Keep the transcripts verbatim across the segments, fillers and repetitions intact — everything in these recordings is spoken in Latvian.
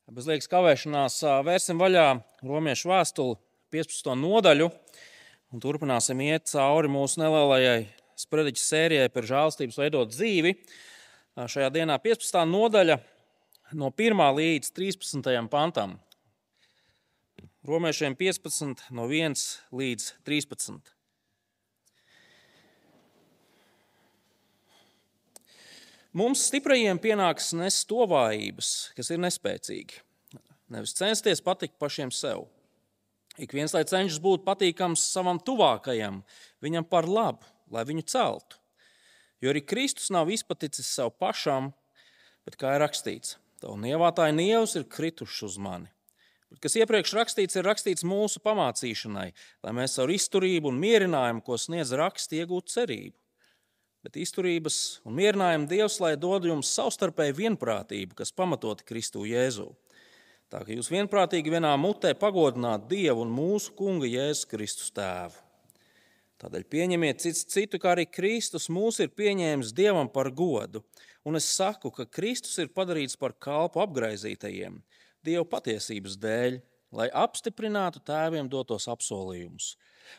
Bez liekas kavēšanās vērsim vaļā Romiešu vēstuli piecpadsmito nodaļu un turpināsim iet cauri mūsu nelielajai sprediķa sērijai par žēlastības veidot dzīvi. Šajā dienā piecpadsmitā nodaļa no pirmā līdz trīspadsmitajam pantam. Romiešiem piecpadsmit no viens līdz trīspadsmit. Mums stiprajiem pienāks nest to vājības, kas ir nespēcīgi. Nevis censties patikt pašiem sev. Ik viens, lai cenšas būt patīkams savam tuvākajam, viņam par labu, lai viņu celtu. Jo arī Kristus nav izpaticis sev pašam, bet kā ir rakstīts, tavu nievātāji nievus ir krituši uz mani. Bet kas iepriekš rakstīts, ir rakstīts mūsu pamācīšanai, lai mēs ar izturību un mierinājumu, ko sniedz raksti, iegūtu cerību. Bet izturības un mierinājumu Dievs, lai dod jums savstarpēju vienprātību, kas pamatoti Kristu Jēzu. Tā ka jūs vienprātīgi vienā mutē pagodināt Dievu un mūsu Kunga Jēzus Kristus tēvu. Tādēļ pieņemiet cits citu, kā arī Kristus mūs ir pieņēmis Dievam par godu. Un es saku, ka Kristus ir padarīts par kalpu apgraizītajiem Dieva patiesības dēļ, lai apstiprinātu tēviem dotos apsolījumus.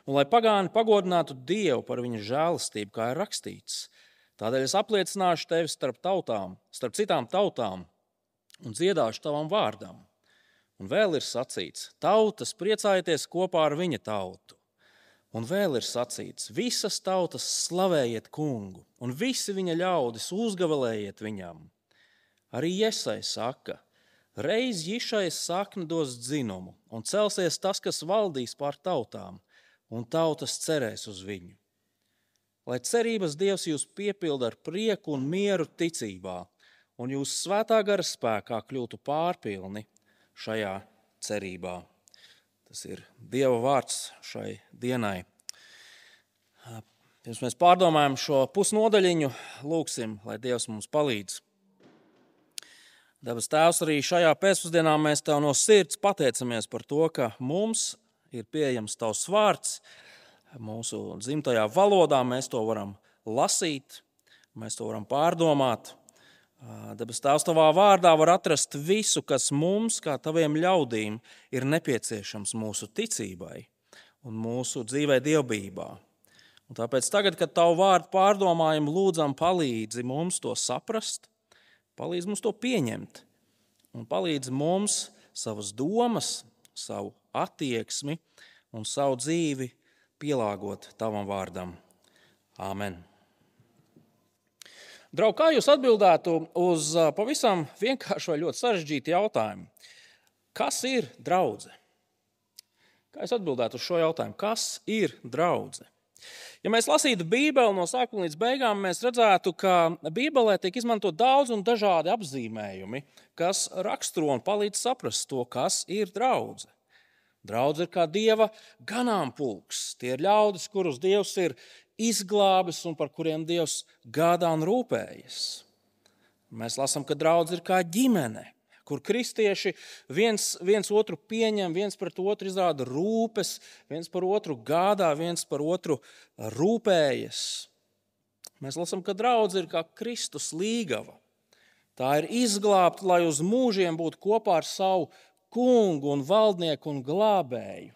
Un lai pagāni pagodinātu Dievu par viņa žēlastību, kā ir rakstīts. Tādēļ es apliecināšu tevi starp tautām, starp citām tautām un dziedāšu tavam vārdam. Un vēl ir sacīts, tautas priecājieties kopā ar viņa tautu. Un vēl ir sacīts, visas tautas slavējiet kungu, un visi viņa ļaudis uzgavalējiet viņam. Arī Jesai saka, reiz Jišais sakni dos dzinumu, un celsies tas, kas valdīs pār tautām, un tautas cerēs uz viņu. Lai cerības Dievs jūs piepilda ar prieku un mieru ticībā, un jūs svētā gara spēkā kļūtu pārpilni šajā cerībā. Tas ir Dieva vārds šai dienai. Pirms mēs pārdomājam šo pusnodaļiņu, lūksim, lai Dievs mums palīdz. Debes Tēvs, arī šajā pēcpusdienā mēs Tev no sirds pateicamies par to, ka mums ir pieejams Tavs vārds. Mūsu dzimtajā valodā mēs to varam lasīt, mēs to varam pārdomāt. Debes Tēvs, Tavā vārdā var atrast visu, kas mums, kā Taviem ļaudīm, ir nepieciešams mūsu ticībai un mūsu dzīvē dievbijībā. Un tāpēc tagad, kad Tavu vārdu pārdomājam, lūdzam palīdzi mums to saprast, palīdzi mums to pieņemt un palīdzi mums savas domas, savu attieksmi un savu dzīvi pielāgot Tavam vārdam. Āmen. Draugi, kā jūs atbildētu uz pavisam vienkāršu vai ļoti sarežģītu jautājumu? Kas ir draudze? Kā jūs atbildētu uz šo jautājumu? Kas ir draudze? Ja mēs lasītu Bībeli no sākuma līdz beigām, mēs redzētu, ka Bībelē tiek izmantot daudz un dažādi apzīmējumi, kas raksturo un palīdz saprast to, kas ir draudze. Draudze ir kā Dieva ganāmpulks. Tie ir ļaudis, kurus Dievs ir izglābis un par kuriem Dievs gādā un rūpējas. Mēs lasām, ka draudze ir kā ģimene, kur kristieši viens, viens otru pieņem, viens pret otru izrāda rūpes, viens par otru gādā, viens par otru rūpējas. Mēs lasām, ka draudze ir kā Kristus līgava. Tā ir izglābta, lai uz mūžiem būtu kopā ar savu kungu un valdnieku un glābēju.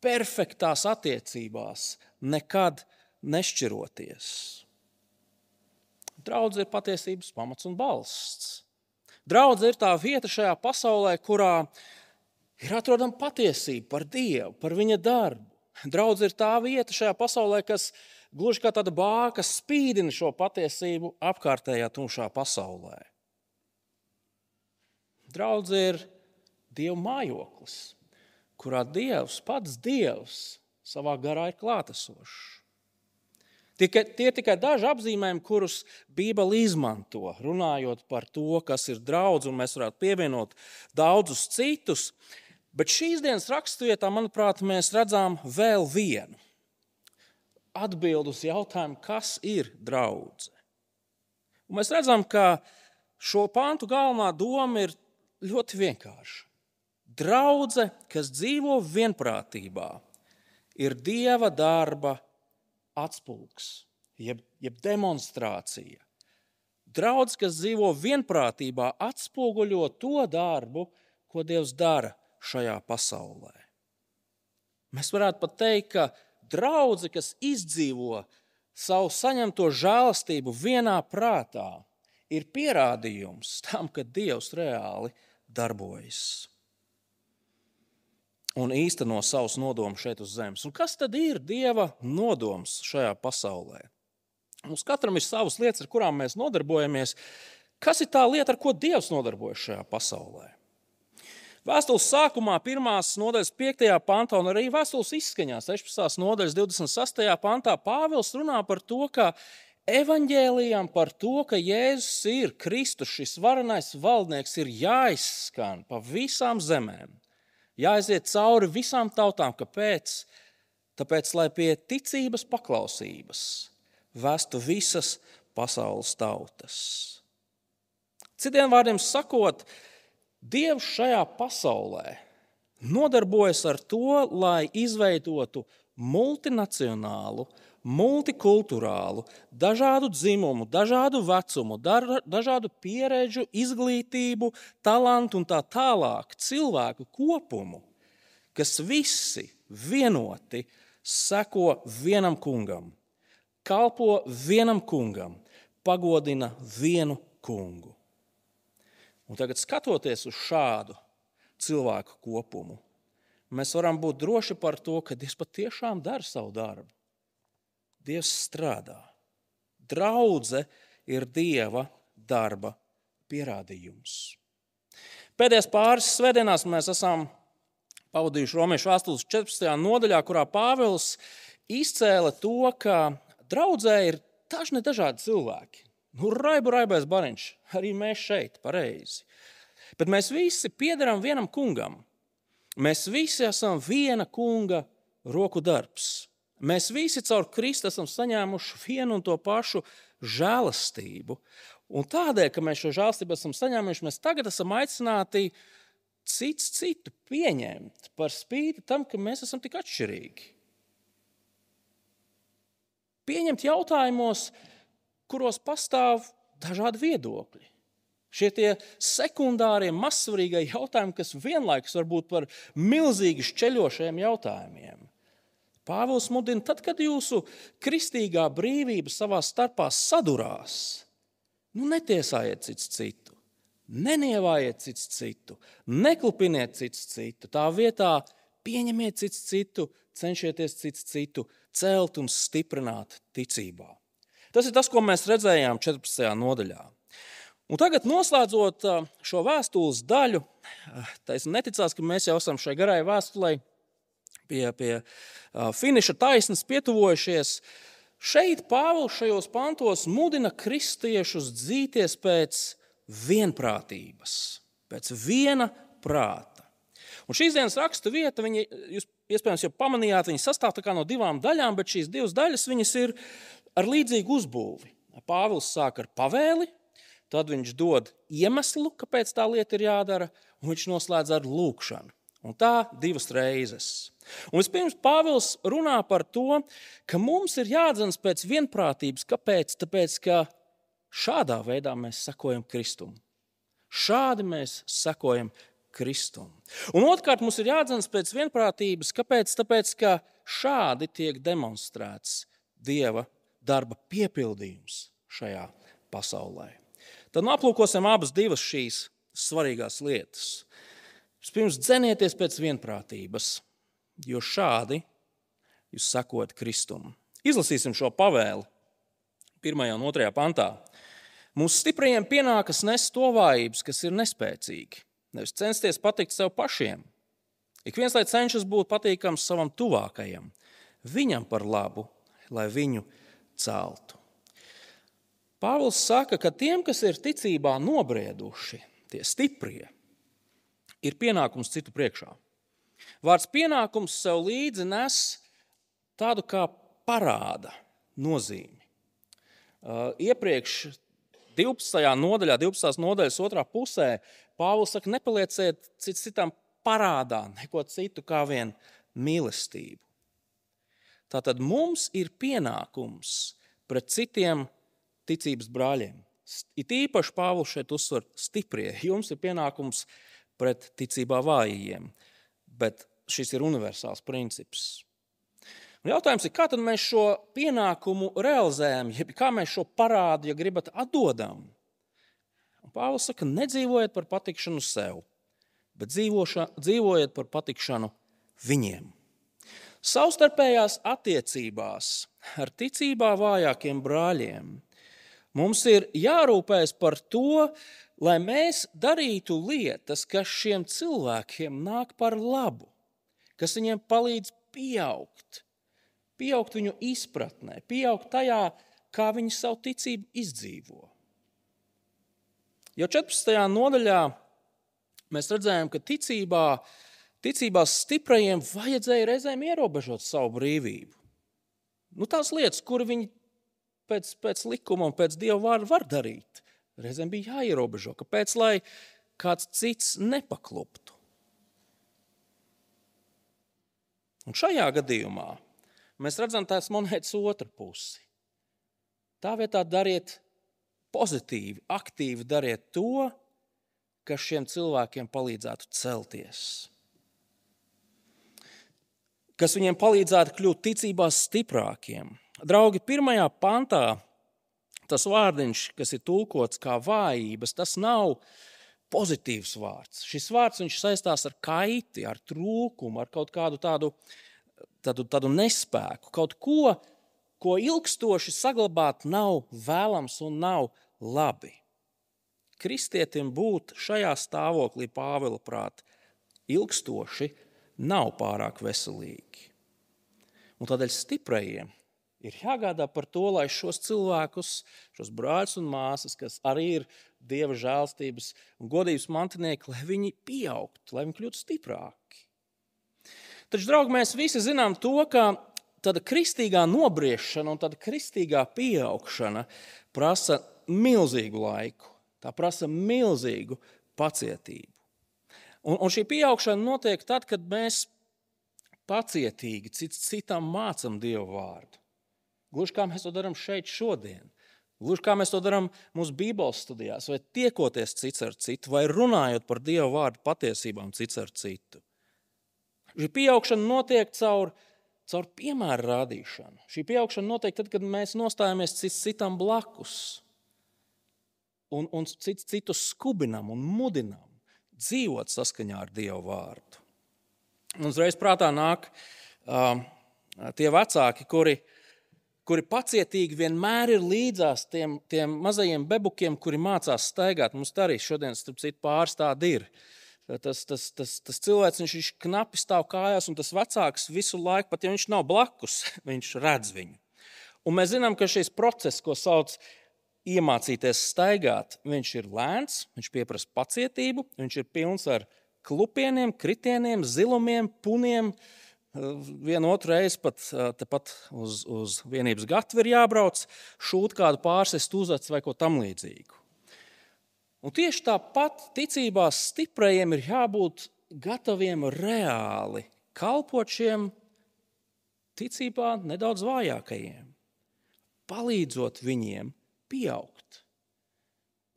Perfektās attiecībās, nekad nešķiroties. Draudze ir patiesības pamats un balsts. Draudze ir tā vieta šajā pasaulē, kurā ir atrodama patiesība par Dievu, par viņa darbu. Draudze ir tā vieta šajā pasaulē, kas gluži kā tāda bāka spīdina šo patiesību apkārtējā tumšā pasaulē. Draudze ir Dieva mājoklis, kurā Dievs, pats Dievs, savā garā ir klātesošs. Tie, tie tikai daži apzīmējumi, kurus Bībele izmanto, runājot par to, kas ir draudze, un mēs varētu pievienot daudzus citus. Bet šīs dienas raksturvietā, manuprāt, mēs redzam vēl vienu atbildi uz jautājumu, kas ir draudze. Un mēs redzam, ka šo pantu galvenā doma ir ļoti vienkārša. Draudze, kas dzīvo vienprātībā, ir Dieva darba atspulgs, jeb, jeb demonstrācija. Draudze, kas dzīvo vienprātībā, atspoguļo to darbu, ko Dievs dara šajā pasaulē. Mēs varētu pat teikt, ka draudze, kas izdzīvo savu saņemto žēlastību vienā prātā, ir pierādījums tam, ka Dievs reāli darbojas un īsteno savus nodomus šeit uz zemes. Un kas tad ir Dieva nodoms šajā pasaulē? Mums katram ir savas lietas, ar kurām mēs nodarbojamies. Kas ir tā lieta, ar ko Dievs nodarbojas šajā pasaulē? Vēstules sākumā, pirmās nodaļas piektajā pantā, un arī vēstules izskaņā, sešpadsmitās nodaļas divdesmit sastajā pantā, Pāvils runā par to, ka evaņģēlijam par to, ka Jēzus ir Kristus, šis varenais valdnieks, ir jāizskan pa visām zemēm. Jāaiziet cauri visām tautām. Kāpēc? Tāpēc, lai pie ticības paklausības vestu visas pasaules tautas. Citiem vārdiem sakot, Dievs šajā pasaulē nodarbojas ar to, lai izveidotu multinacionālu, multikulturālu, dažādu dzimumu, dažādu vecumu, dažādu pieredžu, izglītību, talantu un tā tālāk cilvēku kopumu, kas visi vienoti seko vienam kungam, kalpo vienam kungam, pagodina vienu kungu. Un tagad, skatoties uz šādu cilvēku kopumu, mēs varam būt droši par to, ka Dievs patiešām dara savu darbu. Dievs strādā. Draudze ir Dieva darba pierādījums. Pēdējās pāris svētdienās mēs esam pavadījuši Romiešu vēstules četrpadsmitajā nodaļā, kurā Pāvils izcēla to, ka draudzē ir dažni dažādi cilvēki. Nu, raibu raibais bariņš, arī mēs šeit, pareizi. Bet mēs visi piederam vienam kungam. Mēs visi esam viena kunga roku darbs. Mēs visi caur Kristu esam saņēmuši vienu un to pašu žēlastību. Un tādēļ, ka mēs šo žēlastību esam saņēmuši, mēs tagad esam aicināti cits citu pieņemt par spīti tam, ka mēs esam tik atšķirīgi. Pieņemt jautājumos, kuros pastāv dažādi viedokļi. Šie tie sekundārie, mazsvarīgie jautājumi, kas vienlaikus var būt par milzīgi šķeļošiem jautājumiem. Pāvils mudina, tad, kad jūsu kristīgā brīvība savā starpā sadurās, nu netiesājiet cits citu, nenievājiet cits citu, neklupiniet cits citu, tā vietā pieņemiet cits citu, cenšieties cits citu celt un stiprināt ticībā. Tas ir tas, ko mēs redzējām četrpadsmitajā nodaļā. Un tagad, noslēdzot šo vēstules daļu, tas neticās, ka mēs jau esam šai garai vēstulei pie, pie finiša taisnes pietuvojušies. Šeit Pāvils šajos pantos mudina kristiešus dzīties pēc vienprātības, pēc viena prāta. Un šīs dienas rakstu vieta, viņi, jūs iespējams jau pamanījāt, viņi sastāv tā kā no divām daļām, bet šīs divas daļas viņas ir ar līdzīgu uzbūvi. Pāvils sāk ar pavēli, tad viņš dod iemeslu, kāpēc tā lieta ir jādara, un viņš noslēdz ar lūgšanu. Un tā divas reizes. Un vispirms Pāvils runā par to, ka mums ir jādzenas pēc vienprātības. Kāpēc? Tāpēc, ka šādā veidā mēs sekojam Kristum. Šādi mēs sekojam Kristum. Un otrkārt, mums ir jādzenas pēc vienprātības. Kāpēc? Tāpēc, ka šādi tiek demonstrēts Dieva darba piepildījums šajā pasaulē. Tad aplūkosim abas divas šīs svarīgās lietas. Pirms dzenieties pēc vienprātības, jo šādi jūs sekojat Kristum. Izlasīsim šo pavēli pirmajā un otrajā pantā. Mums stiprajiem pienākas nest to vājības, kas ir nespēcīgi. Nevis censties patikt sev pašiem. Ik viens, lai cenšas būt patīkams savam tuvākajam, viņam par labu, lai viņu celtu. Pāvils saka, ka tiem, kas ir ticībā nobrieduši, tie stiprie, ir pienākums citu priekšā. Vārds pienākums sev līdzi nes tādu kā parāda nozīmi. Uh, iepriekš divpadsmitajā nodaļā, divpadsmitās nodaļas otrā pusē, Pāvils saka, nepalieciet cits citam parādā, neko citu kā vien mīlestību. Tātad mums ir pienākums pret citiem ticības brāļiem. It īpaši Pāvils šeit uzsver stiprie. Jums ir pienākums pret ticībā vājajiem. Bet šis ir universāls princips. Un jautājums ir, kā tad mēs šo pienākumu realizējam, ja kā mēs šo parādu, ja gribat, atdodam? Un Pāvils saka, nedzīvojiet par patikšanu sev, bet dzīvoša, dzīvojiet par patikšanu viņiem. Savstarpējās attiecībās ar ticībā vājākiem brāļiem mums ir jārūpējas par to, lai mēs darītu lietas, kas šiem cilvēkiem nāk par labu, kas viņiem palīdz pieaugt, pieaugt viņu izpratnē, pieaugt tajā, kā viņi savu ticību izdzīvo. Jau četrpadsmitajā nodaļā mēs redzējām, ka ticībā, ticībās stiprajiem vajadzēja reizēm ierobežot savu brīvību. Nu, tās lietas, kur viņi pēc, pēc likuma un pēc Dieva vārda var darīt, reizēm bija jāierobežo, kāpēc, lai kāds cits nepakluptu. Un šajā gadījumā mēs redzam tās monētas otru pusi. Tā vietā dariet pozitīvi, aktīvi dariet to, kas šiem cilvēkiem palīdzētu celties. Kas viņiem palīdzētu kļūt ticībās stiprākiem. Draugi, pirmajā pantā tas vārdiņš, kas ir tulkots kā vājības, tas nav pozitīvs vārds. Šis vārds viņš saistās ar kaiti, ar trūkumu, ar kaut kādu tādu, tādu, tādu nespēku, kaut ko, ko ilgstoši saglabāt nav vēlams un nav labi. Kristietim būt šajā stāvoklī, Pāvila prāt, ilgstoši nav pārāk veselīgi. Un tādēļ stiprajiem ir jāgādā par to, lai šos cilvēkus, šos brāļus un māsas, kas arī ir Dieva žēlstības un godības mantinieki, lai viņi pieaugtu, lai viņi kļūtu stiprāki. Taču, draugi, mēs visi zinām to, ka tāda kristīgā nobriešana un tāda kristīgā pieaugšana prasa milzīgu laiku. Tā prasa milzīgu pacietību. Un, un šī pieaugšana notiek tad, kad mēs pacietīgi cits citam mācam Dieva vārdu. Gluži kā mēs to darām šeit šodien. Gluži kā mēs to darām mūsu Bībeles studijās, vai tiekoties cits ar citu, vai runājot par Dieva vārdu patiesībām cits ar citu. Šī pieaugšana notiek caur, caur piemēru rādīšanu. Šī pieaugšana notiek tad, kad mēs nostājamies cits citam blakus un, un cits citu skubinam un mudinam dzīvot saskaņā ar Dieva vārdu. Un uzreiz prātā nāk uh, tie vecāki, kuri kuri pacietīgi vienmēr ir līdzās tiem, tiem mazajiem bebukiem, kuri mācās staigāt. Mums tā arī šodien, starp citu, pāris tādi ir. Tas, tas, tas, tas cilvēks, viņš, viņš knapi stāv kājās, un tas vecāks visu laiku, pat ja viņš nav blakus, viņš redz viņu. Un mēs zinām, ka šis process, ko sauc iemācīties staigāt, viņš ir lēns, viņš pieprasa pacietību, viņš ir pilns ar klupieniem, kritieniem, zilumiem, puniem. Vienu otru reizi pat tepat uz, uz vienības gatvi ir jābrauc, šūt kādu pārsist uzacis vai ko tam līdzīgu. Un tieši tāpat ticībās stiprajiem ir jābūt gataviem reāli kalpot šiem ticībā nedaudz vājākajiem, palīdzot viņiem pieaugt,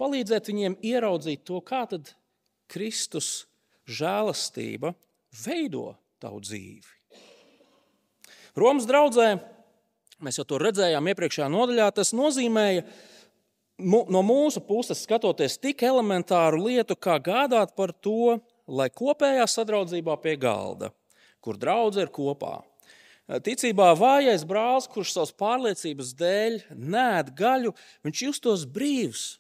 palīdzēt viņiem ieraudzīt to, kā tad Kristus žēlastība veido tavu dzīvi. Romas draudzē, mēs jau to redzējām iepriekšējā nodaļā, tas nozīmēja no mūsu puses skatoties tik elementāru lietu, kā gādāt par to, lai kopējā sadraudzībā pie galda, kur draudze ir kopā. Ticībā vājais brālis, kurš savas pārliecības dēļ neēd gaļu, viņš justos brīvs,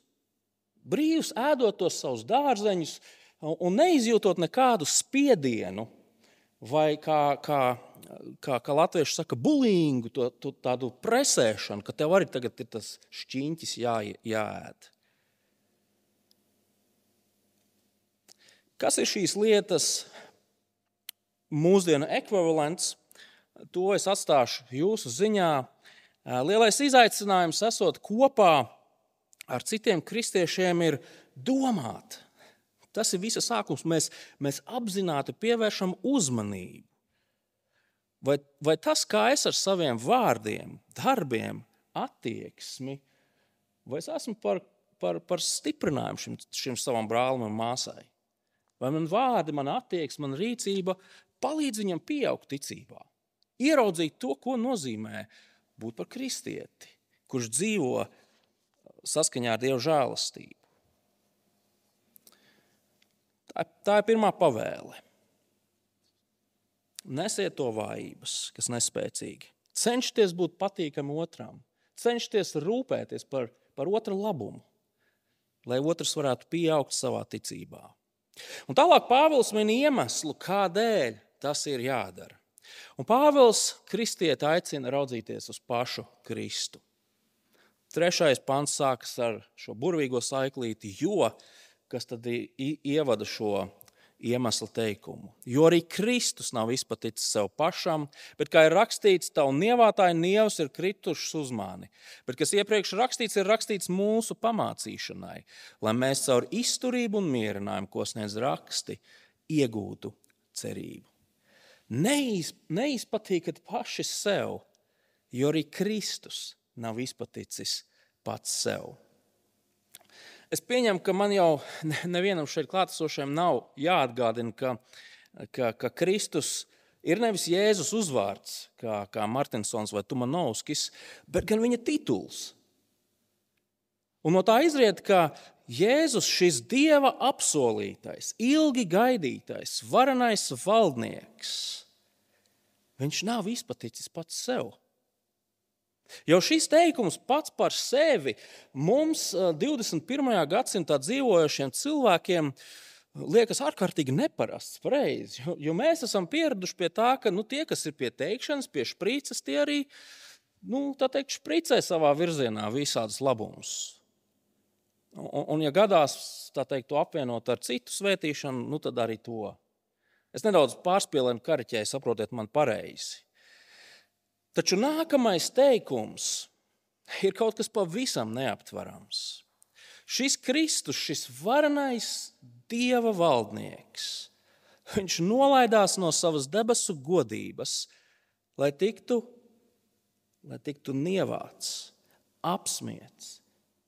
brīvs ēdot tos savus dārzeņus un neizjūtot nekādu spiedienu vai kā, kā, kā, kā latvieši saka, bulingu, to, to, tādu presēšanu, ka tev arī tagad ir tas šķiņķis jā, jāēd. Kas ir šīs lietas mūsdienu ekvivalents? To es atstāšu jūsu ziņā. Lielais izaicinājums esot kopā ar citiem kristiešiem ir domāt. Tas ir visa sākums. Mēs, mēs apzināti pievēršam uzmanību. Vai, vai tas, kā es ar saviem vārdiem, darbiem, attieksmi, vai es esmu par, par, par stiprinājumu šim, šim savam brālim un māsai? vai man vārdi, man attieksme, man rīcība palīdz viņam pieaugt ticībā. Ieraudzīt to, ko nozīmē būt par kristieti, kurš dzīvo saskaņā ar Dieva žēlastību. Tā, tā ir pirmā pavēle. Nesiet to vājības, kas nespēcīgi. Cenšties būt patīkami otram. Cenšties rūpēties par, par otra labumu, lai otrs varētu pieaugt savā ticībā. Un tālāk Pāvils min iemeslu, kādēļ tas ir jādara. Un Pāvils kristieti aicina raudzīties uz pašu Kristu. Trešais pants sākas ar šo burvīgo saiklīti, jo, kas tad ievada šo iemeslu teikumu. Jo arī Kristus nav izpaticis sev pašam, bet, kā ir rakstīts, tavu nievātāju nievs ir kritušas uz mani. Bet, kas iepriekš rakstīts, ir rakstīts mūsu pamācīšanai, lai mēs caur izturību un mierinājumu, ko sniedz raksti, iegūtu cerību. Neiz, neizpatīkat paši sev, jo arī Kristus nav izpaticis pats sev. Es pieņemu, ka man jau nevienam šeit klātesošajam nav jāatgādina, ka, ka, ka Kristus ir nevis Jēzus uzvārds, kā, kā Martinsons vai Tumanovskis, bet gan viņa tituls. Un no tā izriet, ka Jēzus, šis Dieva apsolītais, ilgi gaidītais, varenais valdnieks, viņš nav izpaticis pats sev. Jau šis teikums pats par sevi mums divdesmit pirmajā gadsimtā dzīvojošiem cilvēkiem liekas ārkārtīgi neparasts, pareizi, jo, jo mēs esam pieraduši pie tā, ka nu, tie, kas ir pie teikšanas, pie šprīces, tie arī, nu, tā teikt, špricē savā virzienā visādus labumus. Un, un ja gadās, tā teikt, to apvienot ar citu svētīšanu, nu, tad arī to. Es nedaudz pārspīlēju un kariķēju, saprotiet man pareizi. Taču nākamais teikums ir kaut kas pavisam neaptverams. Šis Kristus, šis varenais Dieva valdnieks, viņš nolaidās no savas debesu godības, lai tiktu, lai tiktu nievāts, apsmiets,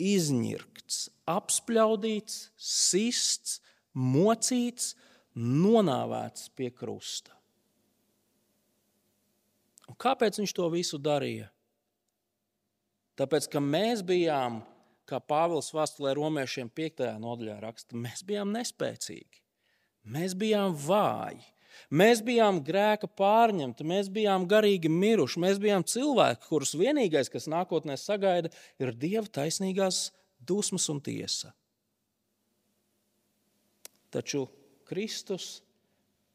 izņirkts, apspļaudīts, sists, mocīts, nonāvēts pie krusta. Un kāpēc viņš to visu darīja? Tāpēc, ka mēs bijām, kā Pāvils vēstulē romiešiem piektajā nodaļā raksta, mēs bijām nespēcīgi, mēs bijām vāji, mēs bijām grēka pārņemti, mēs bijām garīgi miruši, mēs bijām cilvēki, kurus vienīgais, kas nākotnē sagaida, ir Dieva taisnīgās dusmas un tiesa. Taču Kristus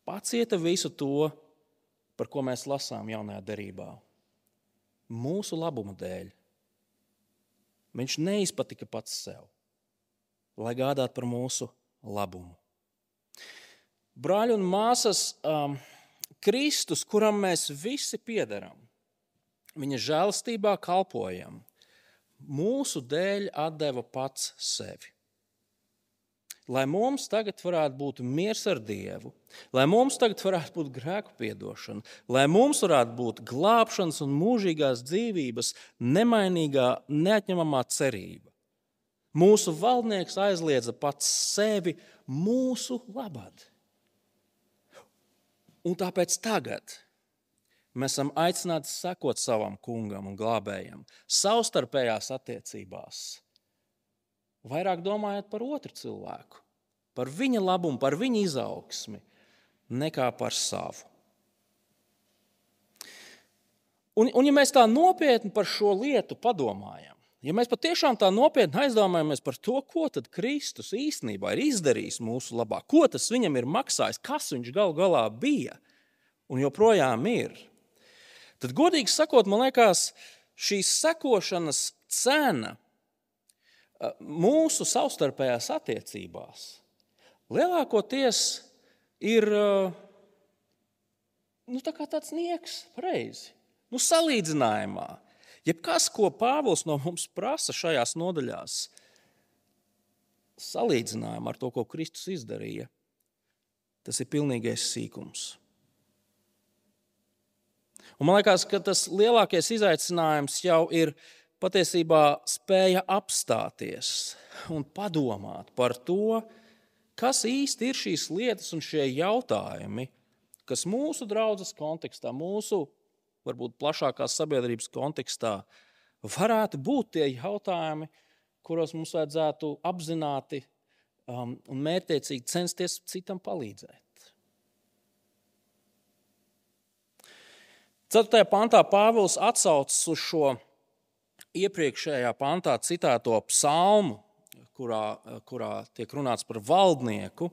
pacieta visu to, par ko mēs lasām jaunajā derībā. Mūsu labuma dēļ. Viņš neizpatika pats sev, lai gādātu par mūsu labumu. Brāļi un māsas, um, Kristus, kuram mēs visi piederam, viņa žēlastībā kalpojam, mūsu dēļ atdeva pats sevi. Lai mums tagad varētu būt miers ar Dievu, lai mums tagad varētu būt grēku piedošana, lai mums varētu būt glābšanas un mūžīgās dzīvības nemainīgā, neatņemamā cerība. Mūsu valdnieks aizliedza pats sevi mūsu labad. Un tāpēc tagad mēs esam aicināti sekot savam kungam un glābējam savstarpējās attiecībās. Vairāk domājot par otru cilvēku, par viņa labumu, par viņa izaugsmi, nekā par savu. Un, un ja mēs tā nopietni par šo lietu padomājam, ja mēs patiešām tā nopietni aizdomājamies par to, ko tad Kristus īstenībā ir izdarījis mūsu labā, ko tas viņam ir maksājis, kas viņš galu galā bija un joprojām ir, tad godīgi sakot, man liekas, šīs sekošanas cena mūsu savstarpējās attiecībās lielākoties ir nu, tā kā tāds nieks, pareizi. Nu, salīdzinājumā. Jebkas, ko Pāvils no mums prasa šajās nodaļās, salīdzinājumā ar to, ko Kristus izdarīja, tas ir pilnīgais sīkums. Un man liekas, ka tas lielākais izaicinājums jau ir patiesībā spēja apstāties un padomāt par to, kas īsti ir šīs lietas un šie jautājumi, kas mūsu draudzes kontekstā, mūsu varbūt plašākās sabiedrības kontekstā varētu būt tie jautājumi, kuros mums vajadzētu apzināti um, un mērķtiecīgi censties citam palīdzēt. Ceturtajā pantā Pāvils atsaucas uz šo iepriekšējā pantā citēto psalmu, kurā, kurā tiek runāts par valdnieku,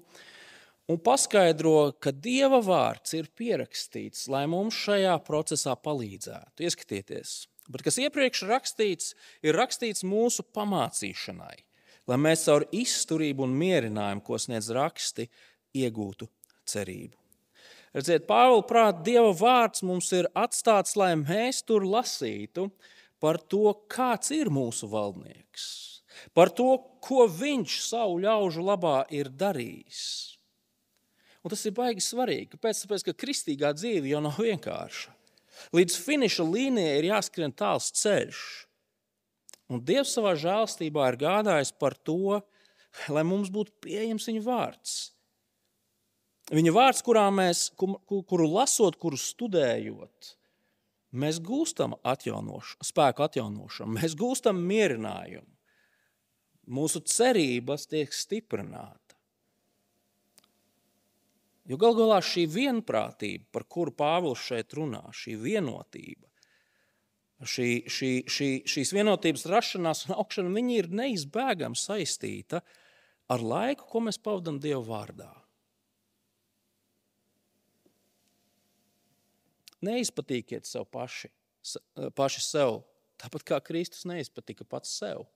un paskaidro, ka Dieva vārds ir pierakstīts, lai mums šajā procesā palīdzētu. Ieskatieties, bet kas iepriekš rakstīts, ir rakstīts mūsu pamācīšanai, lai mēs caur izturību un mierinājumu, ko sniedz raksti, iegūtu cerību. Redziet, Pāvila prāt, Dieva vārds mums ir atstāts, lai mēs tur lasītu par to, kāds ir mūsu valdnieks, par to, ko viņš savu ļaužu labā ir darījis. Un tas ir baigi svarīgi. Kāpēc? Tāpēc, ka kristīgā dzīve jau nav vienkārša. Līdz finiša līnijai ir jāskrien tāls ceļš. Un Dievs savā žēlstībā ir gādājis par to, lai mums būtu pieejams viņa vārds. Viņa vārds, kurā mēs, kuru lasot, kuru studējot, mēs gūstam atjaunošu, spēku atjaunošanu, mēs gūstam mierinājumu. Mūsu cerības tiek stiprināta. Jo gal galā šī vienprātība, par kuru Pāvils šeit runā, šī vienotība, šī, šī, šī, šīs vienotības rašanās un augšana, viņa ir neizbēgami saistīta ar laiku, ko mēs pavadam Dieva vārdā. Neizpatīkiet sev paši, paši sev, tāpat kā Kristus neizpatika pats sev.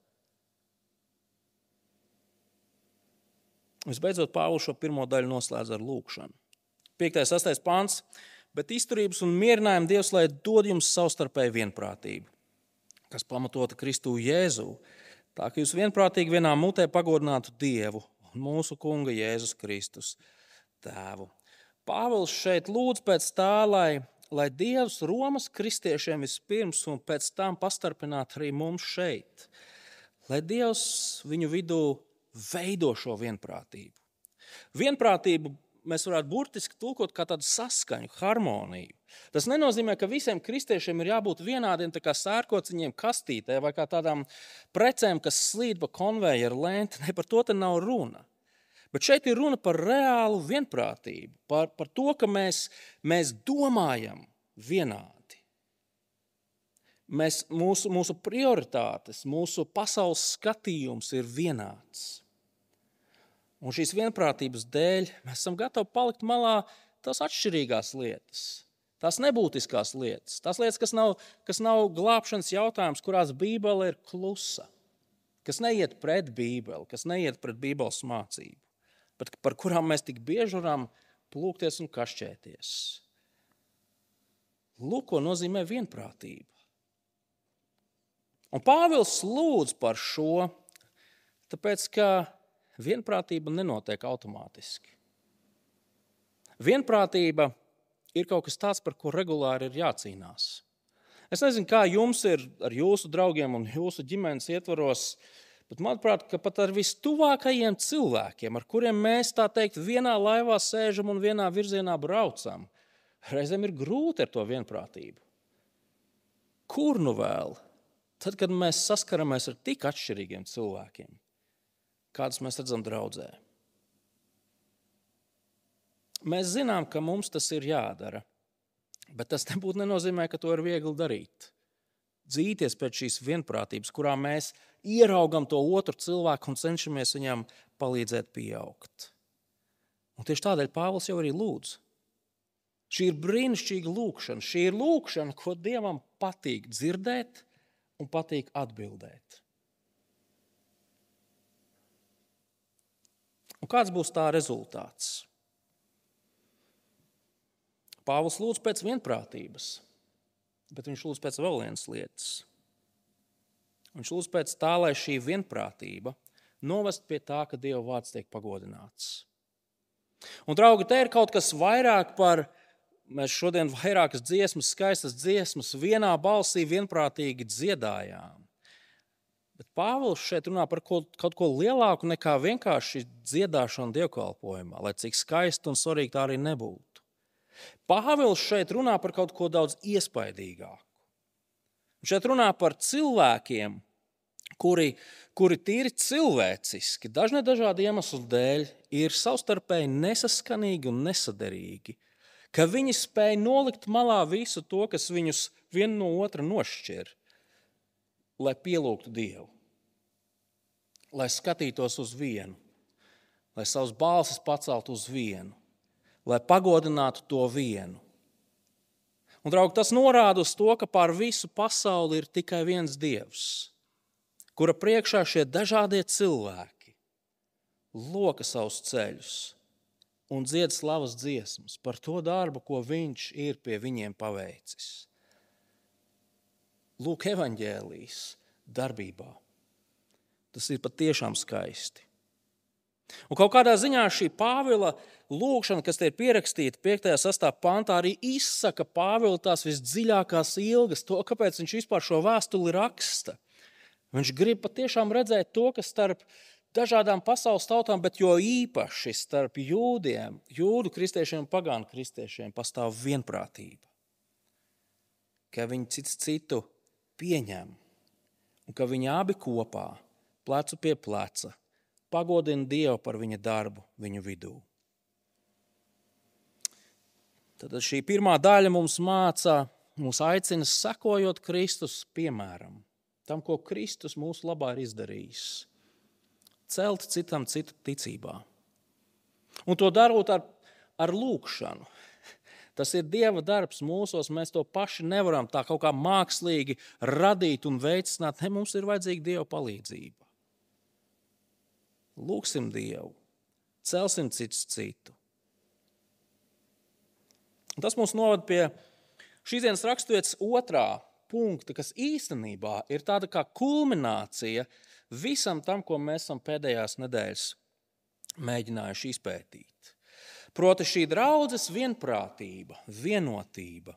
Visbeidzot, Pāvils šo pirmo daļu noslēdz ar lūkšanu. piektais sastais pants, bet izturības un mierinājumu Dievs, lai dod jums savstarpēju vienprātību, kas pamatota Kristu Jēzu, tā ka jūs vienprātīgi vienā mutē pagodinātu Dievu un mūsu kunga Jēzus Kristus tēvu. Pāvils šeit lūdz pēc tā, lai lai Dievs Romas kristiešiem vispirms un pēc tam pastarpinātu arī mums šeit. Lai Dievs viņu vidū veido šo vienprātību. Vienprātību mēs varētu burtiski tulkot kā tādu saskaņu, harmoniju. Tas nenozīmē, ka visiem kristiešiem ir jābūt vienādiem tā kā sērkociņiem kastītē vai kā tādām precēm, kas slīd pa konvejeru lenti. Ne, par to te nav runa. Bet šeit ir runa par reālu vienprātību, par, par to, ka mēs, mēs domājam vienādi. Mēs, mūsu, mūsu prioritātes, mūsu pasaules skatījums ir vienāds. Un šīs vienprātības dēļ mēs esam gatavi palikt malā tās atšķirīgās lietas, tās nebūtiskās lietas, tās lietas, kas nav, kas nav glābšanas jautājums, kurās Bībele ir klusa, kas neiet pret Bībeli, kas neiet pret Bībeles mācību, bet par kurām mēs tik bieži varam plūkties un kašķēties. Lūk, ko nozīmē vienprātība. Un Pāvils lūdz par šo, tāpēc, ka vienprātība nenotiek automātiski. Vienprātība ir kaut kas tāds, par ko regulāri ir jācīnās. Es nezinu, kā jums ir ar jūsu draugiem un jūsu ģimenes ietvaros, bet manuprāt, ka pat ar vistuvākajiem cilvēkiem, ar kuriem mēs tā teikt vienā laivā sēžam un vienā virzienā braucam, reizēm ir grūti ar to vienprātību. Kur nu vēl? Tad, kad mēs saskaramies ar tik atšķirīgiem cilvēkiem, kādus mēs redzam draudzē. Mēs zinām, ka mums tas ir jādara, bet tas nebūtu nenozīmē, ka to ir viegli darīt. Dzīties pēc šīs vienprātības, kurā mēs ieraugam to otru cilvēku un cenšamies viņam palīdzēt pieaugt. Un tieši tādēļ Pāvils jau arī lūdz. Šī ir brīnišķīga lūkšana. Šī ir lūkšana, ko Dievam patīk dzirdēt un patīk atbildēt. Un kāds būs tā rezultāts? Pāvils lūdz pēc vienprātības. Bet viņš lūdz pēc vēl vienas lietas. Viņš lūdz pēc tā, lai šī vienprātība novest pie tā, ka Dieva vārds tiek pagodināts. Un, draugi, te ir kaut kas vairāk par, mēs šodien vairākas dziesmas, skaistas dziesmas vienā balsī vienprātīgi dziedājām. Bet Pāvils šeit runā par kaut, kaut ko lielāku nekā vienkārši dziedāšanu dievkalpojumā, lai cik skaisti un svarīgi tā arī nebūtu. Pāvils šeit runā par kaut ko daudz iespaidīgāku. Šeit runā par cilvēkiem, kuri, kuri tīri cilvēciski, dažne dažādi iemeslu dēļ, ir savstarpēji nesaskanīgi un nesaderīgi, ka viņi spēj nolikt malā visu to, kas viņus vienu no otra nošķir, lai pielūgtu Dievu, lai skatītos uz vienu, lai savus balsis paceltu uz vienu, lai pagodinātu to vienu. Un, draugi, tas norāda uz to, ka pār visu pasauli ir tikai viens Dievs, kura priekšā šie dažādie cilvēki loka savus ceļus un dzied slavas dziesmas par to darbu, ko viņš ir pie viņiem paveicis. Lūk, evaņģēlijas darbībā. Tas ir patiešām skaisti. Un kaut kādā ziņā šī Pāvila lūgšana, kas te ir pierakstīta piektajā sastajā pantā, arī izsaka Pāvila tās visdziļākās ilgas, to, kāpēc viņš vispār šo vēstuli raksta. Viņš grib patiešām redzēt to, kas starp dažādām pasaules tautām, bet jo īpaši starp jūdiem, jūdu kristiešiem un pagānu kristiešiem pastāv vienprātība. Ka viņi cits citu pieņem un ka viņi abi kopā, plecu pie pleca, pagodina Dievu par viņa darbu viņu vidū. Tad šī pirmā daļa mums māca, mums aicina sekojot Kristus piemēram, tam, ko Kristus mūsu labā ir izdarījis, celt citam citu ticībā. Un to darot ar, ar lūgšanu. Tas ir Dieva darbs mūsos, mēs to paši nevaram tā kaut kā mākslīgi radīt un veicināt. Ne, mums ir vajadzīga Dieva palīdzība. Lūgsim Dievu, celsim cits citu. Tas mūs novada pie šīs dienas raksturvietas otrā punkta, kas īstenībā ir tāda kā kulminācija visam tam, ko mēs esam pēdējās nedēļas mēģinājuši izpētīt. Proti šī draudzes vienprātība, vienotība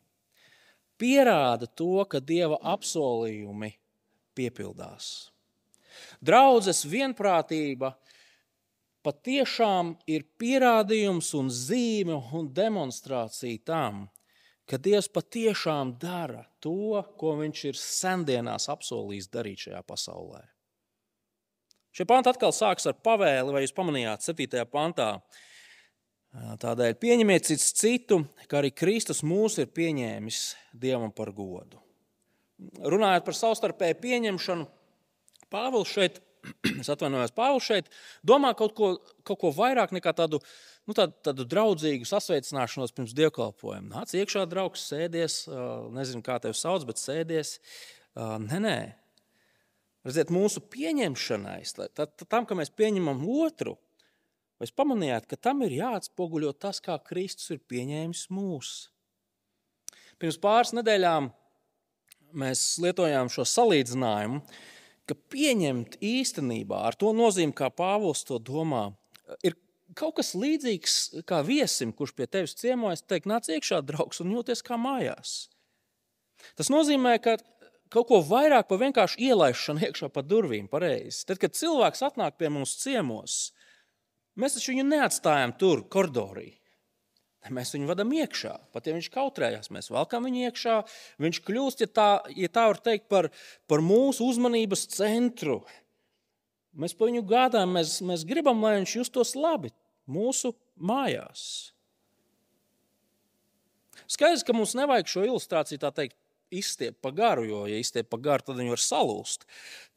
pierāda to, ka Dieva apsolījumi piepildās. Draudzes vienprātība patiešām ir pierādījums un zīme un demonstrācija tam, ka Dievs patiešām dara to, ko viņš ir sendienās apsolījis darīt šajā pasaulē. Šie panti atkal sāks ar pavēli, vai jūs pamanījāt septītajā pantā. Tādēļ pieņemiet cits citu, kā arī Kristus mūs ir pieņēmis Dievam par godu. Runājot par savstarpēju pieņemšanu, Pāvils šeit, es atvainojos, Pāvils šeit domā kaut ko, kaut ko vairāk nekā tādu, nu, tādu, tādu draudzīgu sasveicināšanos pirms dievkalpojuma. Nāc iekšā, draugs, sēdies, nezinu, kā tevi sauc, bet sēdies. Nē, nē. Redziet, mūsu pieņemšanai, tam, ka mēs pieņemam otru, vai jūs pamanījāt, ka tam ir jāatspoguļo tas, kā Kristus ir pieņēmis mūs. Pirms pāris nedēļām mēs lietojām šo salīdzinājumu, ka pieņemt īstenībā ar to nozīmi, kā Pāvils to domā, ir kaut kas līdzīgs kā viesim, kurš pie tevis ciemojas, teikt, nāc iekšā, draugs, un jūties kā mājās. Tas nozīmē, ka kaut ko vairāk par vienkārši ielaišanu iekšā pa durvīm pareizi. Tad, kad cilvēks atnāk pie mums ciemos, mēs taču viņu neatstājam tur, koridorī. Mēs viņu vadam iekšā. Pat ja viņš kautrējās, mēs valkam viņu iekšā. Viņš kļūst, ja tā, ja tā var teikt, par, par mūsu uzmanības centru. Mēs par viņu gādājam, mēs, mēs gribam, lai viņš justos labi mūsu mājās. Skaidrs, ka mums nevajag šo ilustrāciju tā teikt izstiept pa garu, jo, ja izstiept pa garu, tad viņi var salūst.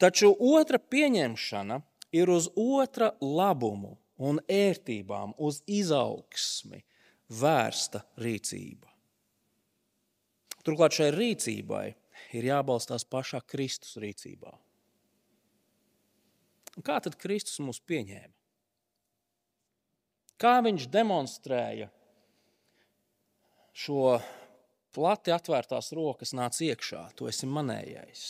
Taču otra pieņemšana ir uz otra labumu un ērtībām, uz izaugsmi vērsta rīcība. Turklāt šai rīcībai ir jābalstās pašā Kristus rīcībā. Un kā tad Kristus mūs pieņēma? Kā viņš demonstrēja šo plati atvērtās rokas nāc iekšā, tu esi manējais.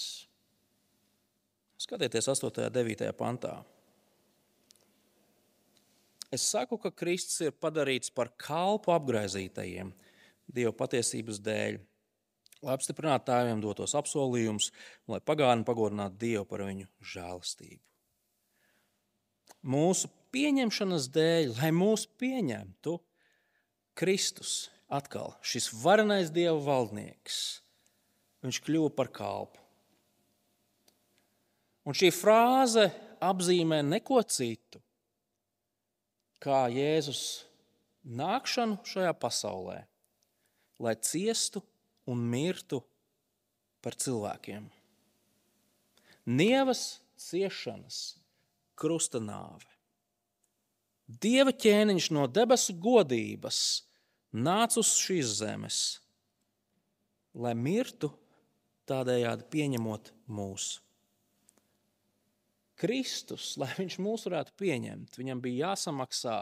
Skatieties astotajā devītajā pantā. Es saku, ka Kristus ir padarīts par kalpu apgraizītajiem Dieva patiesības dēļ, lai apstiprinātu tēviem dotos apsolījumus un lai pagāni pagodinātu Dievu par viņu žēlastību. Mūsu pieņemšanas dēļ, lai mūs pieņemtu, Kristus atkal, šis varenais Dieva valdnieks, viņš kļuva par kalpu. Un šī frāze apzīmē neko citu, kā Jēzus nākšanu šajā pasaulē, lai ciestu un mirtu par cilvēkiem. Nievas ciešanas, krusta nāve. Dieva ķēniņš no debesu godības nāca uz šīs zemes, lai mirtu, tādējādi pieņemot mūs. Kristus, lai viņš mūs varētu pieņemt, viņam bija jāsamaksā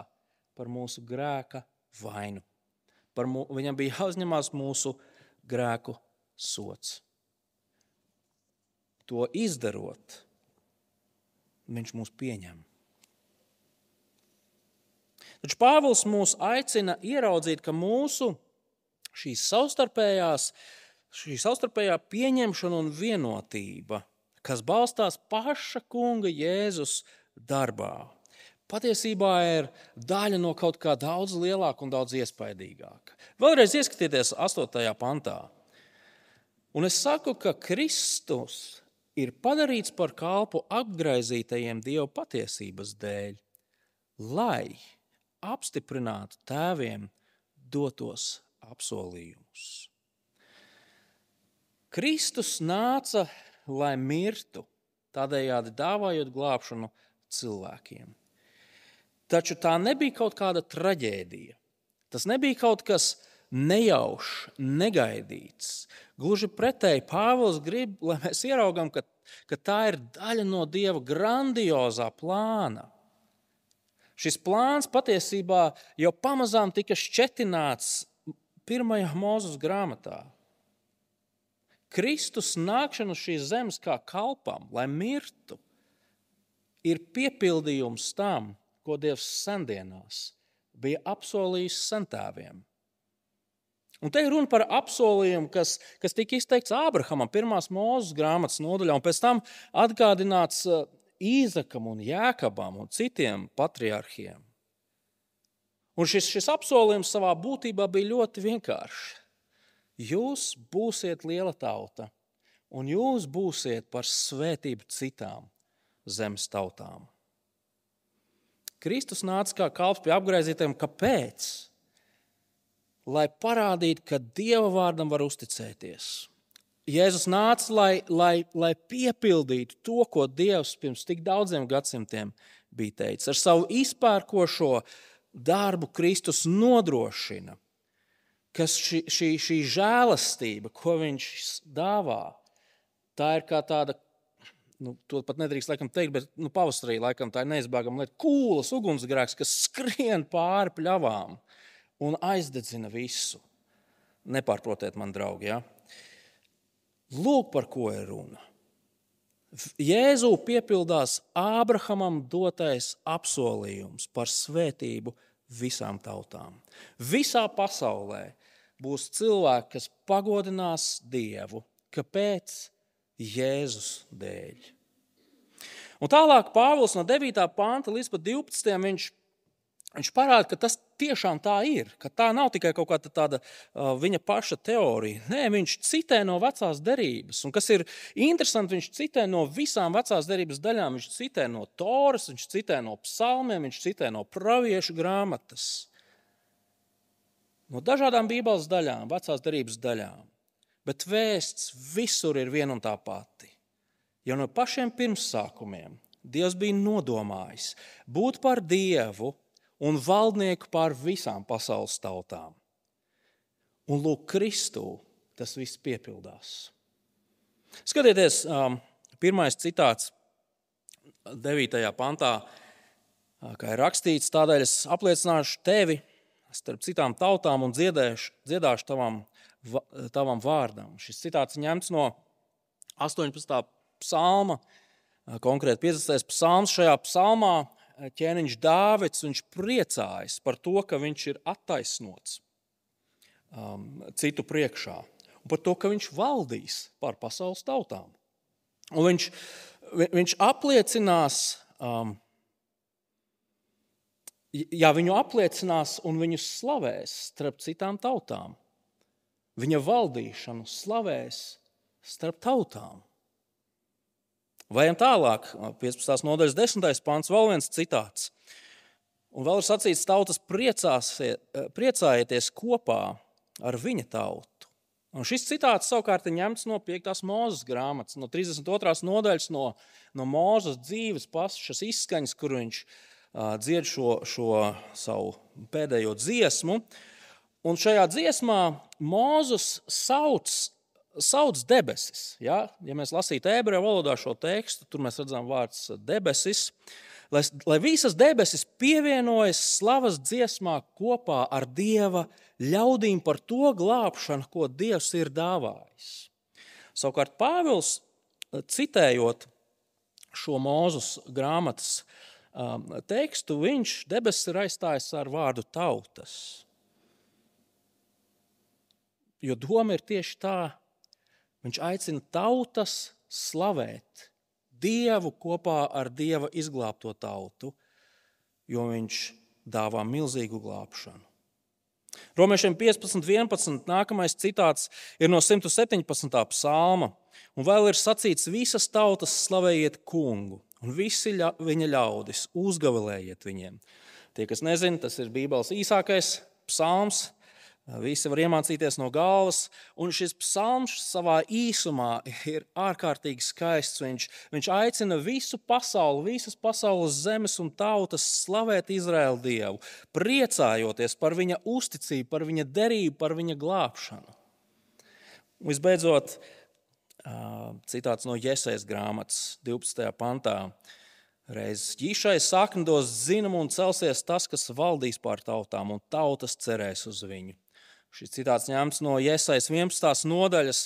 par mūsu grēka vainu. Par mū, viņam bija jāuzņemās mūsu grēku sots. To izdarot, viņš mūs pieņem. Taču Pāvils mūs aicina ieraudzīt, ka mūsu šīs savstarpējās, šī savstarpējā pieņemšana un vienotība, kas balstās paša kunga Jēzus darbā, patiesībā ir daļa no kaut kā daudz lielāka un daudz iespaidīgāka. Vēlreiz ieskatieties astotajā pantā. Un es saku, ka Kristus ir padarīts par kalpu apgraizītajiem Dieva patiesības dēļ, lai apstiprinātu tēviem dotos apsolījumus. Kristus nāca, lai mirtu, tādējādi dāvājot glābšanu cilvēkiem. Taču tā nebija kaut kāda traģēdija. Tas nebija kaut kas nejaušs, negaidīts. Gluži pretēji, Pāvils grib, lai mēs ieraugam, ka, ka tā ir daļa no Dieva grandiozā plāna. Šis plāns patiesībā jau pamazām tika šķetināts pirmajā Mūzes grāmatā. Kristus nākšana uz šīs zemes kā kalpam, lai mirtu, ir piepildījums tam, ko Dievs sendienās bija apsolījis sentēviem. Un te ir runa par apsolījumu, kas, kas tika izteikts Ābrahamam pirmās Mūzes grāmatas nodaļā, un pēc tam atgādināts Īzakam un Jēkabam un citiem patriarhiem. Un šis, šis apsolījums savā būtībā bija ļoti vienkāršs. Jūs būsiet liela tauta, un jūs būsiet par svētību citām zemes tautām. Kristus nāca kā kalps pie apgraizītiem. Kāpēc? Lai parādītu, ka Dieva vārdam var uzticēties. Jēzus nāca, lai, lai, lai piepildītu to, ko Dievs pirms tik daudziem gadsimtiem bija teicis. Ar savu izpērkošo darbu Kristus nodrošina, ka šī, šī, šī žēlastība, ko viņš dāvā, tā ir kā tāda, nu, to pat nedrīkst laikam teikt, bet nu, pavasarī laikam tā ir neizbēgama lieta, kūlas ugunsgrēks, kas skrien pāri pļavām un aizdedzina visu. Nepārprotiet man, draugi, ja? Lūk, par ko ir runa. Jēzū piepildās Ābrahamam dotais apsolījums par svētību visām tautām. Visā pasaulē būs cilvēki, kas pagodinās Dievu. Kāpēc? Jēzus dēļ. Un tālāk Pāvils no devītā panta līdz pat divpadsmitajam viņš, viņš parāda, ka tas tiešām tā ir, ka tā nav tikai kaut kāda tāda uh, viņa paša teorija. Nē, viņš citē no vecās derības. Un kas ir interesanti, viņš citē no visām vecās derības daļām. Viņš citē no Toras, viņš citē no psalmiem, viņš citē no praviešu grāmatas. No dažādām bībeles daļām, vecās derības daļām. Bet vēsts visur ir viena un tā pati. Jo no pašiem pirmsākumiem Dievs bija nodomājis būt par Dievu un valdnieku pār visām pasaules tautām. Un lūk, Kristū tas viss piepildās. Skatieties, pirmais citāts devītajā pantā, kā ir rakstīts, tādēļ es apliecināšu tevi starp citām tautām un dziedēšu, dziedāšu tavam, tavam vārdam. Šis citāts ņemts no astoņpadsmitā psalma, konkrēti piecdesmitais psalms. Šajā psalmā ķēniņš Dāvids, viņš priecājas par to, ka viņš ir attaisnots um, citu priekšā. par to, ka viņš valdīs pār pasaules tautām. Un viņš, viņš apliecinās, um, jā, viņu apliecinās un viņu slavēs starp citām tautām. Viņa valdīšanu slavēs starp tautām. Vajam tālāk, piecpadsmitās nodaļas desmitais pants, vēl viens citāts. Un vēl ir sacīts, tautas priecās, priecājieties kopā ar viņa tautu. Un šis citāts savukārt ir ņemts no piektās Mūzes grāmatas, no trīsdesmit otrās nodaļas, no, no Mūzes dzīves pašas izskaņas, kur viņš uh, dzied šo, šo savu pēdējo dziesmu. Un šajā dziesmā Mūzes sauc sauc debesis. Ja, ja mēs lasītu ebreju valodā šo tekstu, tur mēs redzam vārds debesis. Lai, lai visas debesis pievienojas slavas dziesmā kopā ar Dieva ļaudīm par to glābšanu, ko Dievs ir dāvājis. Savukārt Pāvils, citējot šo Mūzes grāmatas um, tekstu, viņš debesis ir aizstājis ar vārdu tautas. Jo doma ir tieši tā, viņš aicina tautas slavēt Dievu kopā ar Dieva izglābto tautu, jo viņš dāvā milzīgu glābšanu. Romiešiem piecpadsmit vienpadsmit nākamais citāts ir no simt septiņpadsmitā psalma, un vēl ir sacīts, visas tautas slavējiet kungu, un visi ļa, viņa ļaudis uzgavilējiet viņiem. Tie, kas nezina, tas ir Bībeles īsākais psalms. Visi var iemācīties no galvas, un šis psalms savā īsumā ir ārkārtīgi skaists. Viņš, viņš aicina visu pasauli, visas pasaules zemes un tautas slavēt Izraēlu Dievu, priecājoties par viņa uzticību, par viņa derību, par viņa glābšanu. Visbeidzot, citāts no Jesajas grāmatas divpadsmitajā pantā. Reiz ģišai sakni dos zinumu un celsies tas, kas valdīs pār tautām, un tautas cerēs uz viņu. Šis citāts ņemts no Jesajas vienpadsmitās nodaļas,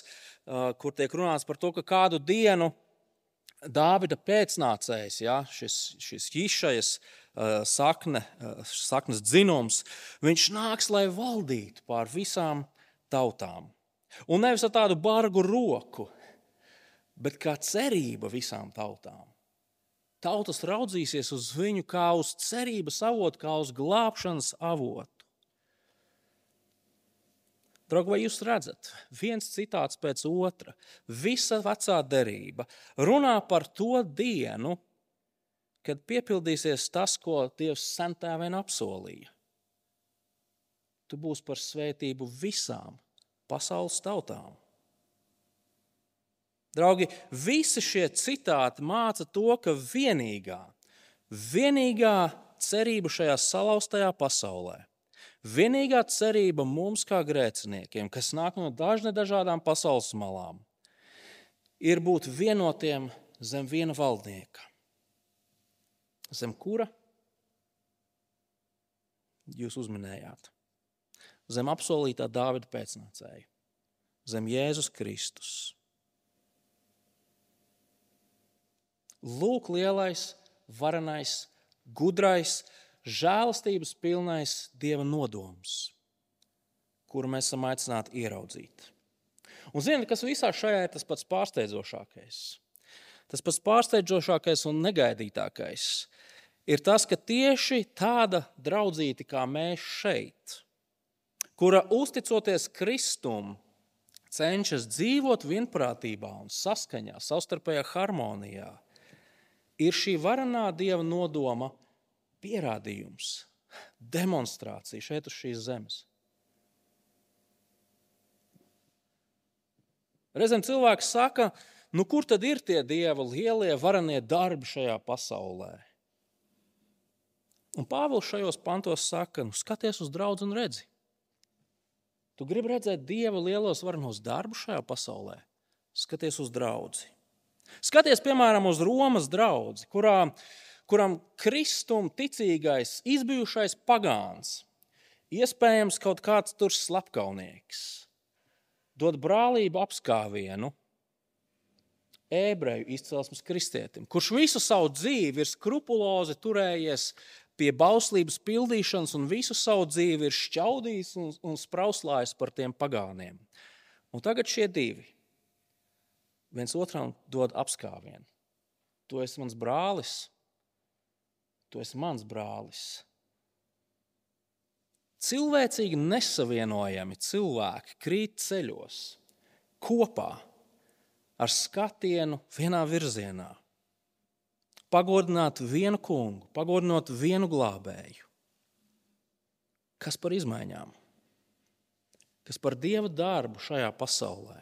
kur tiek runāts par to, ka kādu dienu Dāvida pēcnācējs, ja, šis, šis ģišajas sakne, saknes dzinums, viņš nāks, lai valdītu pār visām tautām. Un nevis ar tādu bargu roku, bet kā cerība visām tautām. Tautas raudzīsies uz viņu kā uz cerības avotu, kā uz glābšanas avotu. Draugi, vai jūs redzat, viens citāts pēc otra, visa vecā derība runā par to dienu, kad piepildīsies tas, ko Dievs sentēvien apsolīja. Tu būsi par svētību visām pasaules tautām. Draugi, visi šie citāti māca to, ka vienīgā, vienīgā cerība šajā salauztajā pasaulē, vienīgā cerība mums kā grēciniekiem, kas nāk no dažne dažādām pasaules malām, ir būt vienotiem zem viena valdnieka. Zem kura? Jūs uzminējāt. Zem apsolītā Dāvida pēcnācēja. Zem Jēzus Kristus. Lūk lielais, varenais, gudrais, žēlastības pilnais Dieva nodoms, kuru mēs esam aicināti ieraudzīt. Un ziniet, kas visā šajā ir tas pats pārsteidzošākais? Tas pats pārsteidzošākais un negaidītākais ir tas, ka tieši tāda draudzīte kā mēs šeit, kura uzticoties Kristum, cenšas dzīvot vienprātībā un saskaņā, savstarpējā harmonijā, ir šī varenā Dieva nodoma pierādījums, demonstrācija šeit uz šīs zemes. Reizēm cilvēks saka, nu kur tad ir tie Dieva lielie varenie darbi šajā pasaulē? Un Pāvils šajos pantos saka, nu skaties uz draudzi un redzi. Tu gribi redzēt Dieva lielos varenos darbus šajā pasaulē? Skaties uz draudzi. Skaties, piemēram, uz Romas draudzi, kurā kuram Kristum ticīgais, izbijušais pagāns, iespējams kaut kāds tur slepkaunieks, dod brālību apskāvienu ebreju izcelsmes kristietim, kurš visu savu dzīvi ir skrupulozi turējies pie bauslības pildīšanas un visu savu dzīvi ir šķaudījis un, un sprauslājis par tiem pagāniem. Un tagad šie divi viens otram dod apskāvienu. Tu esi mans brālis, tu esi mans brālis. Cilvēcīgi nesavienojami cilvēki krīt ceļos kopā ar skatienu vienā virzienā. Pagodināt vienu kungu, pagodinot vienu glābēju. Kas par izmaiņām? Kas par Dieva darbu šajā pasaulē?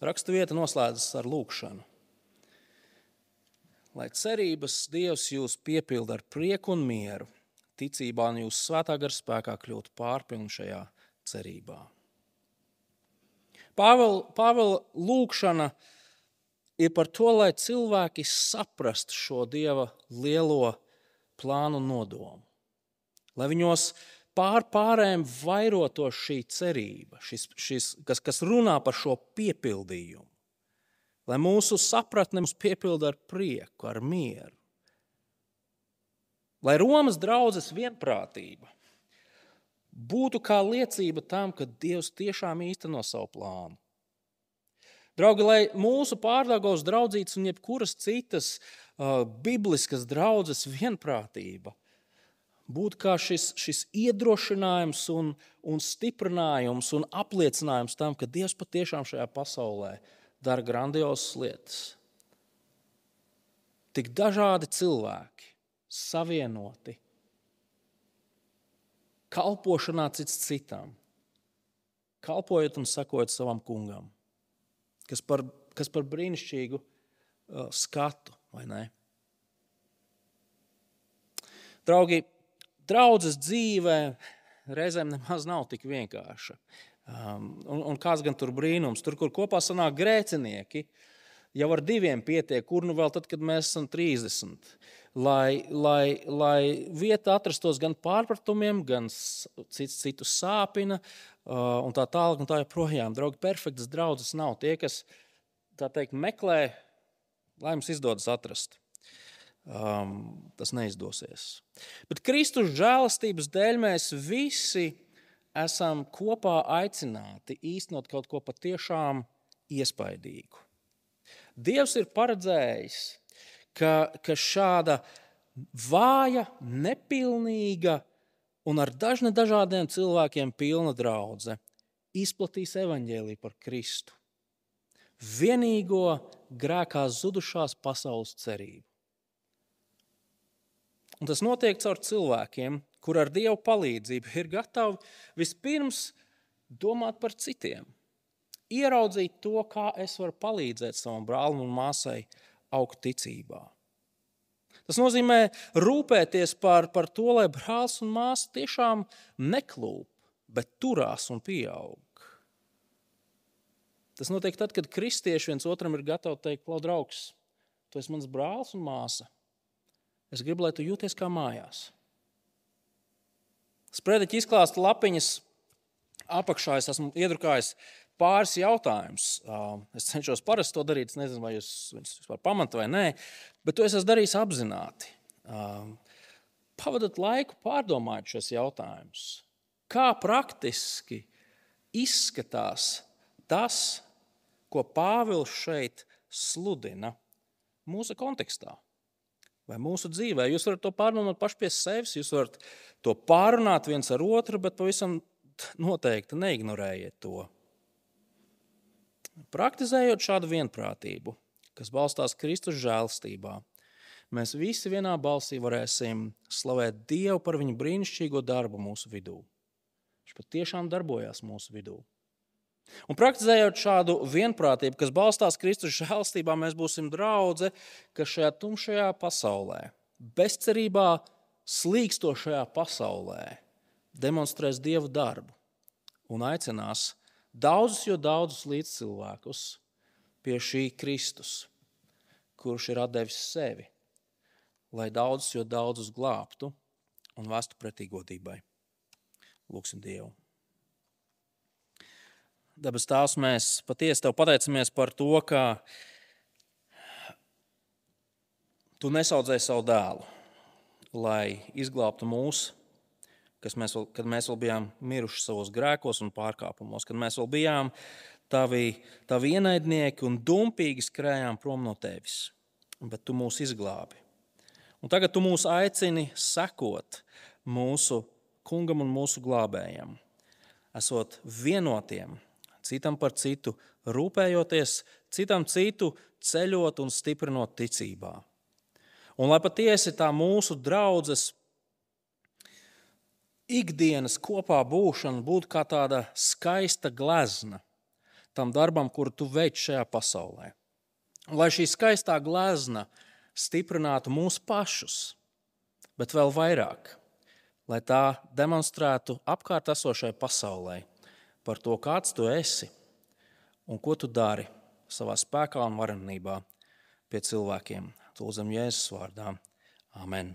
Raksturvieta noslēdzas ar lūgšanu. Lai cerības Dievs jūs piepilda ar prieku un mieru, ticībā un jūsu svētā gara spēkā kļūt pārpilni šajā cerībā. Pāvela, Pāvela lūgšana ir par to, lai cilvēki saprastu šo Dieva lielo plānu un nodomu. Lai viņos pār pārējiem vairotos šī cerība, šis, šis, kas, kas runā par šo piepildījumu. Lai mūsu sapratne mums piepilda ar prieku, ar mieru. Lai Romas draudzes vienprātība būtu kā liecība tam, ka Dievs tiešām īsteno savu plānu. Draugi, lai mūsu Pārdaugavas draudzītes un jebkuras citas uh, bibliskas draudzes vienprātība būtu kā šis, šis iedrošinājums un, un stiprinājums un apliecinājums tam, ka Dievs patiešām šajā pasaulē dara grandiozas lietas. Tik dažādi cilvēki, savienoti, kalpošanā cits citam, kalpojot un sakojot savam kungam, kas par, kas par brīnišķīgu uh, skatu, vai ne? Draugi, draudzes dzīve reizēm nemaz nav tik vienkārša. Um, un, un kāds gan tur brīnums, tur, kur kopā sanāk grēcinieki, jau ar diviem pietiek, kur nu vēl tad, kad mēs esam trīsdesmit. Lai, lai, lai vieta atrastos gan pārpratumiem, gan cits citu sāpina, uh, un tā tālāk un tā joprojām. Draugi, perfektas draudzes nav. Tie, kas, tā teikt, meklē, lai mums izdodas atrast. Um, tas neizdosies. Bet Kristus žēlastības dēļ mēs visi esam kopā aicināti īstenot kaut ko patiešām iespaidīgu. Dievs ir paredzējis, ka, ka šāda vāja, nepilnīga un ar dažne dažādiem cilvēkiem pilna draudze izplatīs evaņģēliju par Kristu. Vienīgo grēkā zudušās pasaules cerību. Un tas notiek caur cilvēkiem, kur ar Dievu palīdzību ir gatavi vispirms domāt par citiem. Ieraudzīt to, kā es varu palīdzēt savam brālim un māsai augt ticībā. Tas nozīmē rūpēties par, par to, lai brālis un māsa tiešām neklūp, bet turās un pieaug. Tas notiek tad, kad kristieši viens otram ir gatavi teikt, klau draugs, tu esi mans brālis un māsa. Es gribu, lai tu jūties kā mājās. Sprediķi izklāsta lapiņas apakšā, es esmu iedrukājis pāris jautājumus. Es cenšos parasti to darīt, es nezinu, vai jūs viņus vispār pamanāt vai nē, bet to es esmu darījis apzināti. Pavadat laiku pārdomājot šos jautājumus. Kā praktiski izskatās tas, ko Pāvils šeit sludina mūsu kontekstā? Vai mūsu dzīvē. Jūs varat to pārdomāt paši pie sevis, jūs varat to pārunāt viens ar otru, bet pavisam noteikti neignorējiet to. Praktizējot šādu vienprātību, kas balstās Kristus žēlstībā, mēs visi vienā balsī varēsim slavēt Dievu par viņu brīnišķīgo darbu mūsu vidū. Viņš patiešām darbojās mūsu vidū. Un praktizējot šādu vienprātību, kas balstās Kristus žēlstībā, mēs būsim draudze, kas šajā tumšajā pasaulē, bezcerībā slīkstošajā pasaulē demonstrēs Dievu darbu un aicinās daudzus, jo daudzus līdzcilvēkus pie šī Kristus, kurš ir atdevis sevi, lai daudzus, jo daudzus glābtu un vestu pretī godībai. Lūksim Dievu. Debes Tēvs, mēs patiesi Tev pateicamies par to, ka Tu nesaudzēji savu dēlu, lai izglābtu mūs, kas mēs vēl, kad mēs vēl bijām miruši savos grēkos un pārkāpumos, kad mēs vēl bijām tavi, tavi ienaidnieki un dumpīgi skrējām prom no tevis. Bet tu mūs izglābi. Un tagad tu mūs aicini sekot mūsu kungam un mūsu glābējam, esot vienotiem, citam par citu rūpējoties, citam citu ceļot un stiprinot ticībā. Un lai patiesi tā mūsu draudzes ikdienas kopā būšana būtu kā tāda skaista glezna tam darbam, kuru tu veic šajā pasaulē. Lai šī skaistā glezna stiprinātu mūs pašus, bet vēl vairāk, lai tā demonstrētu apkārt esošai pasaulē par to, kāds tu esi un ko tu dari savā spēkā un varenībā pie cilvēkiem. To lūdzam Jēzus vārdā. Amen.